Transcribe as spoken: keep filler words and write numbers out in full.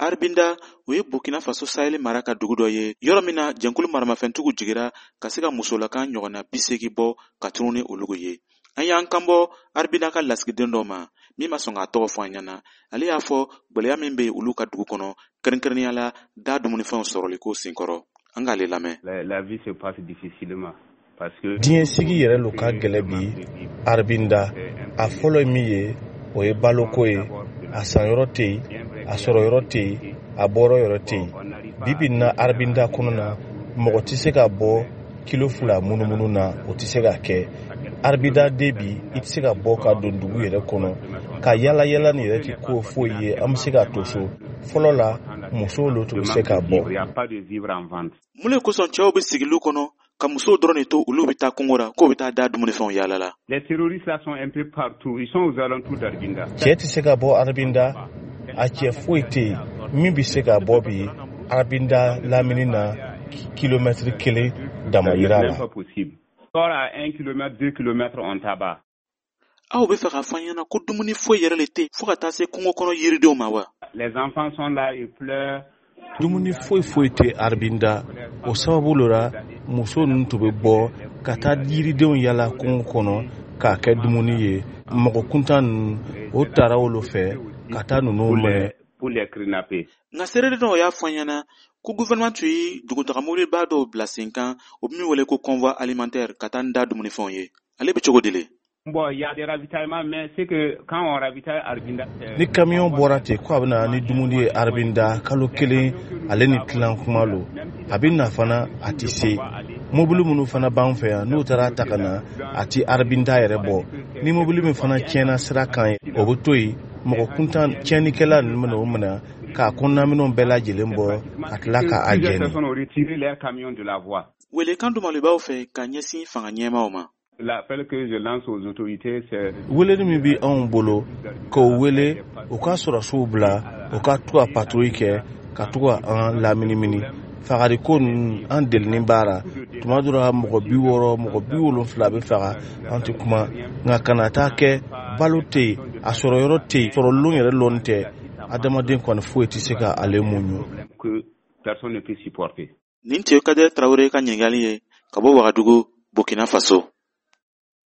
Arbinda, o ye Burkina Faso Sahel mara ka dugu dɔ ye, yɔrɔ min na jɛnkulu maramafɛntigiw jigira ka se ka musolakan ɲɔgɔnna bi seegin bɔ ka tunu ni olugu ye. An y'an kanbɔ Arbinda ka lasigiden dɔ ma min ma sɔn k'a tɔgɔ fɔ an ɲɛna. Ale y'a fɔ gwɛlɛya min bɛ yen olu ka dugu kɔnɔ, kɛrɛnkɛrɛnnenya la da dumunifɛnw sɔrɔliko senkɔrɔ. An k'ale lamɛn. La, la vie se passe difficilement. Parce que Diɲɛ sigi yɛrɛ lo ka gɛlɛ bi Arbinda. A fɔlɔ ye min ye, o ye baloko ye. A sanyɔrɔ tɛ yen, a sɔrɔyɔrɔ tɛ yen, a bɔrɔ yɔrɔ tɛ yen. Bi bi in na, Arbinda kɔnɔ na, mɔgɔ tɛ se ka bɔ kilo fila munumunu na, o tɛ se ka kɛ. Arbinda de bi, i tɛ se ka bɔ ka don dugu yɛrɛ kɔnɔ ka yala yala nin yɛrɛ tɛ ko foyi ye. An bɛ se ka to so. Fɔlɔ la, musow lo tun bɛ se ka bɔ. Il n'y a pas de vivre en vente. Mun le kosɔn cɛw bɛ sigiliw kɔnɔ ka musow dɔrɔn de to, olu bɛ taa kungo la, k'o bɛ taa da dumunifɛnw yaala la? Les terroristes là sont un peu partout. Ils sont aux alentours d'Arbinda. Cɛ tɛ se ka bɔ Arbinda. A cɛ foyi tɛ yen min bɛ se ka bɔ bi Arbinda lamini na kilomɛtiri kelen dama C'est yira même la. pas possible. Sort à un kilomètre, deux kilomètres, on tabac. Aw bɛ fɛ k'a fɔ an ɲɛna ko dumuni foyi yɛrɛ le tɛ yen fo ka taa se kungo kɔnɔ yiridenw ma wa? Les enfants sont là, ils pleurent. Dumuni foyi foyi tɛ Arbinda. O sababu lo la, muso ninnu tun bɛ bɔ ka taa yiridenw yala kungo kɔnɔ k'a kɛ dumuni ye. Mɔgɔ kuntan ninnu, o taara olu fɛ ka taa ninnu Pour minɛ. les, pour les kidnapper. Nka seere dɔw y'a fɔ an ɲɛna ko gouvernement tun ye dugutaga mobiliba dɔw bila sen kan, o bɛ min wele ko convoi alimentaire, ka taa n da dumunifɛnw ye. Ale bɛ cogo di le? Bon, il y a des ravitaillements, mais c'est que quand on ravitaille Arbinda, c'est- Ni kamiyɔn bɔra ten ko a bɛ na ni dumuni ye Arbinda, kalo kelen ale ni tilan kuma lo, a bɛ na fana, a tɛ se. Mobili minnu fana b'an fɛ yan, n'u taara ta ka na, a ti Arbinda yɛrɛ bɔ. Ni mobili min fana tiɲɛna sira kan, o bɛ to yen. Mɔgɔ kuntan tiɲɛnikɛla ninnu bɛna o minɛ k'a kɔnɔnaminɛnw bɛɛ lajɛlen bɔ ka tila k'a Plusieurs jɛni. Personnes ont retiré leur camion de la voie. Welekan dumalibaw fɛ ka ɲɛsin fanga ɲɛmaw ma. L'appel que je lance aux autorités, c'est Weleli min bi anw bolo, k'o wele u ka sɔrɔsiw bila u ka to ka patrouille kɛ ka to ka an laminimini. Fagaliko ninnu, an delini baara tuma dɔ la, mɔgɔ bi wɔɔrɔ, mɔgɔ bi wolonfila bɛ faga, an tɛ kuma. Nka kana taa kɛ balo tɛ yen, a sɔrɔ yɔrɔ tɛ yen, sɔrɔ lon yɛrɛ lɔnni tɛ. Adamaden kɔni foyi tɛ se ka ale muɲu. Que personne ne peut supporter. Nin tun ye Kadɛrɛ Tarawele ka ɲininkali ye ka bɔ Wagadugu, Burkina Faso.